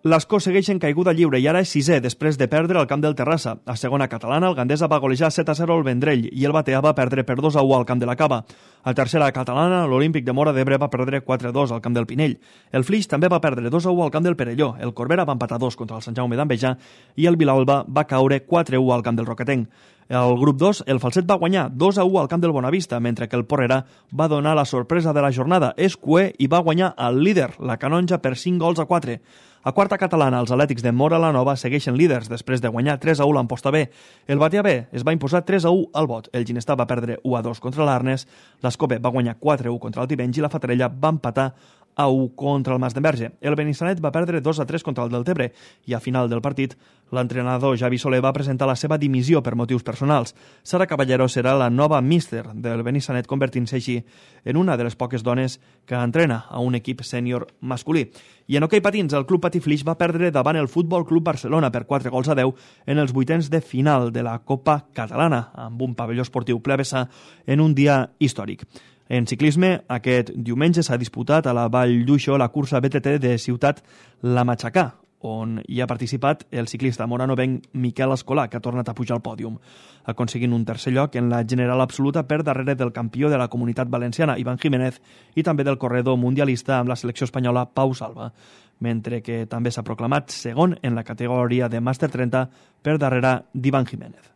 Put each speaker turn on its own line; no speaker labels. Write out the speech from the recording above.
L'Escó segueix en caiguda lliure i ara és sisè després de perdre al camp del Terrassa. A segona catalana, el Gandesa va golejar 7-0 al Vendrell i el Batea va perdre per 2-1 al camp de la Cava. A tercera catalana, l'Olímpic de Móra d'Ebre va perdre 4-2 al camp del Pinell. El Flix també va perdre 2-1 al camp del Perelló. El Corbera va empatar 2 contra el Sant Jaume d'Envejà i el Vilalba va caure 4-1 al camp del Roquetenc. El grup 2, el Falset va guanyar 2-1 al camp del Bonavista, mentre que el Porrera va donar la sorpresa de la jornada. És cué i va guanyar el líder, la Canonja, per 5-4. A quarta catalana, els Atlètics de Móra la Nova segueixen líders després de guanyar 3-1 l'Amposta B. El Batea B es va imposar 3-1 al Bot. El Ginestar va perdre 1-2 contra l'Arnes, l'Escope va guanyar 4-1 contra el Tivenys i la Fatarella va empatar a 1 contra el Masdenverge. El Benissanet va perdre 2-3 contra el Deltebre i a final del partit l'entrenador Javi Soler va presentar la seva dimissió per motius personals. Sara Caballero serà la nova míster del Benissanet, convertint-se així en una de les poques dones que entrena a un equip sènior masculí. I en hoquei patins, el Club Patí Flix va perdre davant el Futbol Club Barcelona per 4-10 en els vuitens de final de la Copa Catalana, amb un pavelló esportiu ple a vessar en un dia històric. En ciclisme, aquest diumenge s'ha disputat a la Vall d'Uixó la cursa BTT de Ciutat La Matxacà, on hi ha participat el ciclista moranovenc Miquel Escolà, que ha tornat a pujar al pòdium, aconseguint un tercer lloc en la general absoluta per darrere del campió de la Comunitat Valenciana, Iván Jiménez, i també del corredor mundialista amb la selecció espanyola, Pau Salva, mentre que també s'ha proclamat segon en la categoria de Màster 30 per darrere d'Iván Jiménez.